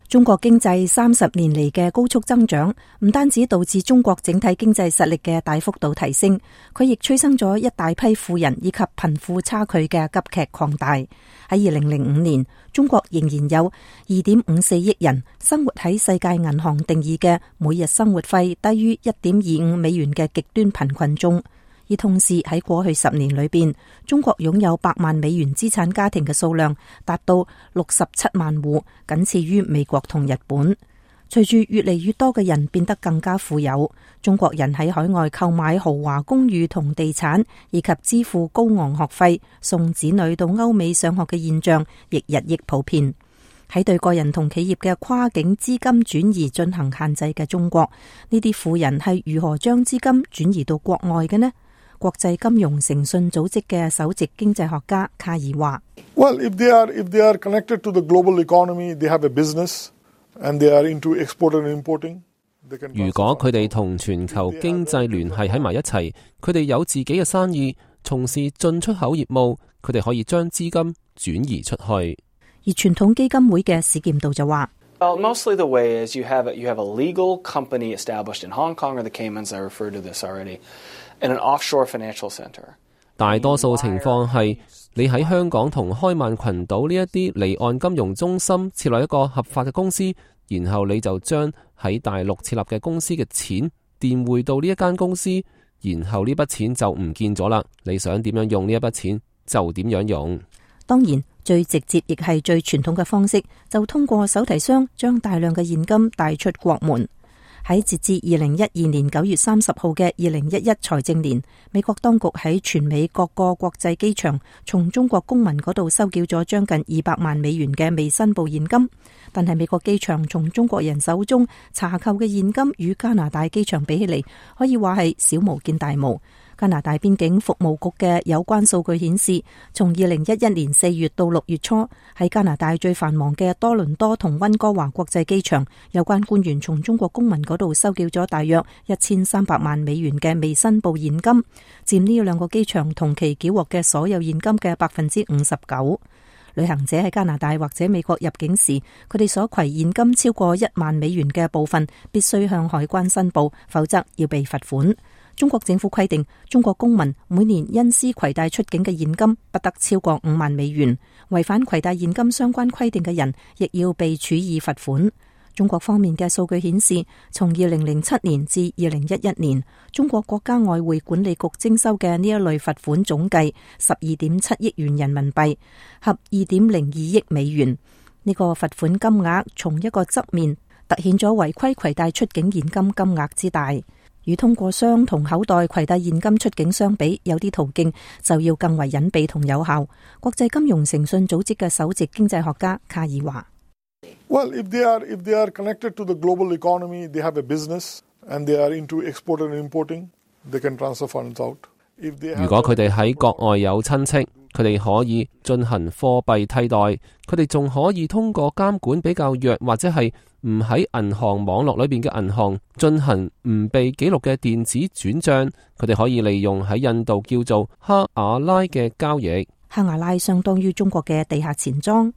中國經濟30年嚟嘅高速增長，唔單止導致中國整體經濟實力嘅大幅度提升，佢亦催生咗一大批富人以及貧富差距嘅急劇擴大。喺2005年，中國仍然有2.54億人生活喺世界銀行定義嘅每日生活費低於1.25美元嘅極端貧困中。而同時喺過去10年裏邊，中國擁有100萬美元資產家庭嘅數量達到67萬戶，僅次於美國同日本。隨住越嚟越多嘅人變得更加富有，中國人喺海外購買豪華公寓同地產，以及支付高昂學費送子女到歐美上學嘅現象，亦日益普遍。喺對個人同企業嘅跨境資金轉移進行限制嘅中國，呢啲富人係如何將資金轉移到國外嘅呢？國際金融誠信組織嘅首席經濟學家卡爾話：Well, if they are connected to the global economy, they have a business, and they are into export and importing. 如果佢哋同全球經濟聯繫喺埋一齊，佢哋有自己嘅生意，從事進出口業務，佢哋可以將資金轉移出去。而傳統基金會嘅史劍道就話：Well, mostly the way is you have a legal company established in Hong Kong or the Caymans. I referred to this already. In an offshore financial center. 大多數情況係你喺香港同開曼群島呢一啲離岸金融中心設立一個合法嘅公司，然後你就將喺大陸設立嘅公司嘅錢電匯到呢一間公司，然後呢筆錢就唔見咗啦。你想點樣用呢一筆錢就點樣用。當然，最直接亦係最傳統嘅方式，就通過手提箱將大量嘅現金帶出國門。喺截至2012年9月30號嘅2011財政年，美國當局喺全美各個國際機場從中國公民嗰度收繳咗將近200萬美元嘅未申報現金，但係美國機場從中國人手中查扣嘅現金與加拿大機場比起嚟，可以話係小巫見大巫。加拿大邊境服務局嘅有關數據顯示，從2011年4月到6月初，喺加拿大最繁忙嘅多倫多同溫哥華國際機場，有關官員從中國公民嗰度收繳咗大約1300萬美元嘅未申報現金，佔呢兩個機場同期繳獲嘅所有現金嘅59%。旅行者喺加拿大或者美國入境時，佢哋所攜現金超過1萬美元嘅部分，必須向海關申報，否則要被罰款。中國政府規定，中國公民每年因私攜帶出境嘅現金不得超過5萬美元，違反攜帶現金相關規定嘅人，亦要被處以罰款。中國方面嘅數據顯示，從2007年至2011年，中國國家外匯管理局徵收嘅呢一類罰款總計12.7億元人民幣，合2.02億美元。呢個罰款金額從一個側面凸顯咗違規攜帶出境現金金額之大。與通過箱同口袋攜帶現金出境相比，有啲途徑就要更為隱蔽同有效。國際金融誠信組織嘅首席經濟學家卡爾話：Well, if they are connected to the global economy, they have a business, and they are into export and importing, they can transfer funds out. 如果佢哋喺國外有親戚，佢哋可以進行貨幣替代，佢哋仲可以通過監管比較弱或者係唔喺銀行網絡裏邊嘅銀行進行唔被記錄嘅電子轉賬，佢哋可以利用喺印度叫做哈瓦拉嘅交易。哈瓦拉相當於中國嘅地下錢莊。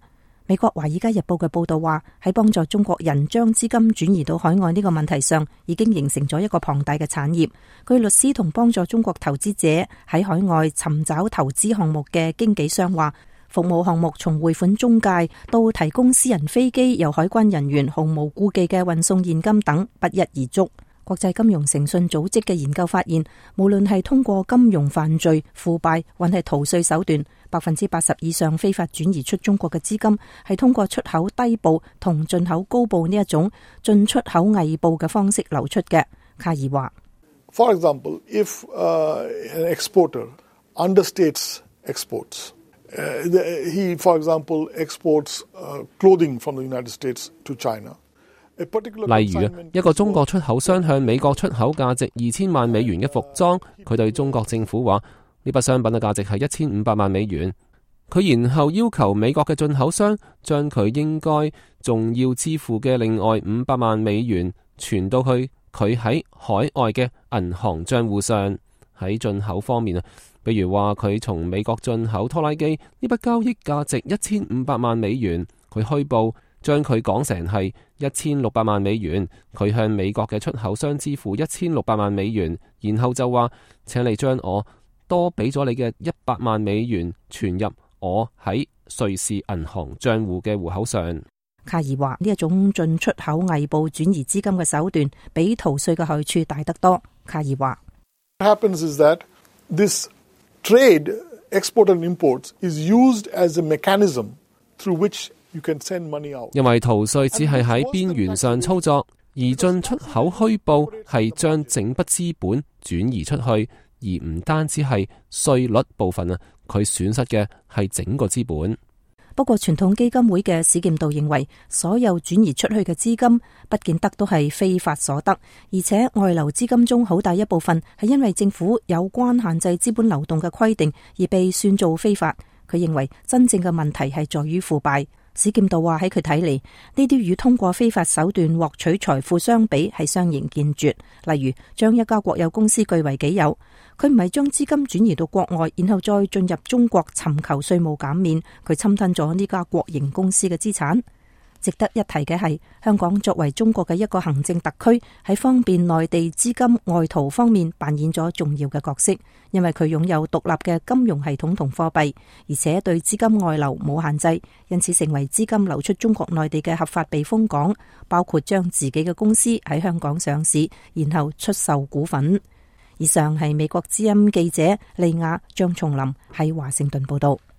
美國《華爾街日報》嘅報道話，喺幫助中國人將資金轉移到海外呢個問題上，已經形成咗一個龐大嘅產業。據律師同幫助中國投資者喺海外尋找投資項目嘅經紀商話，服務項目從匯款中介到提供私人飛機由海關人員毫無顧忌嘅運送現金等不一而足。國際金融誠信組織嘅研究發現，無論係通過金融犯罪、腐敗，還係逃稅手段，80%以上非法轉移出中國嘅資金係通過出口低報同進口高報呢一種進出口偽報嘅方式流出嘅。卡爾話 ：For example, if an exporter understates exports, he, for example, exports clothing from the United States to China.例如一個中國出口商向美國出口價值2000萬美元嘅服裝，佢對中國政府話呢筆商品嘅價值係1500萬美元，佢然後要求美國嘅進口商將佢應該仲要支付嘅另外500萬美元傳到去佢喺海外嘅銀行賬戶上。喺進口方面啊，比如話佢從美國進口拖拉機，呢筆交易價值1500萬美元，佢虛報將佢講成係1600萬美元，佢向美國嘅出口商支付1600萬美元，然後就話請你將我多俾咗你嘅100萬美元存入我喺瑞士銀行賬戶嘅戶口上。卡爾話呢一種進出口偽報轉移資金嘅手段，比逃稅嘅害處大得多。卡爾話 What happens is that this trade, export and imports, is used as a mechanism through which you can send money out. 因為逃稅只係喺邊緣上操作，而進出口虛報係將整筆資本轉移出去，而唔單止係稅率部分啊，佢損失嘅係整個資本。不過傳統基金會嘅史劍道認為，所有轉移出去嘅資金不見得都係非法所得，而且外流資金中好大一部分係因為政府有關限制資本流動嘅規定而被算做非法。佢認為真正嘅問題係在於腐敗。史劍道話喺佢睇嚟，呢啲與通過非法手段獲取財富相比係相形見絀。例如將一家國有公司據為己有，佢唔係將資金轉移到國外，然後再進入中國尋求稅務減免，佢侵吞咗呢家國營公司嘅資產。值得一提嘅係，香港作為中國嘅一個行政特區，喺方便內地資金外逃方面扮演咗重要嘅角色，因為佢擁有獨立嘅金融系統同貨幣，而且對資金外流冇限制，因此成為資金流出中國內地嘅合法避風港，包括將自己嘅公司喺香港上市，然後出售股份。以上係美國之音記者利亞張松林喺華盛頓報道。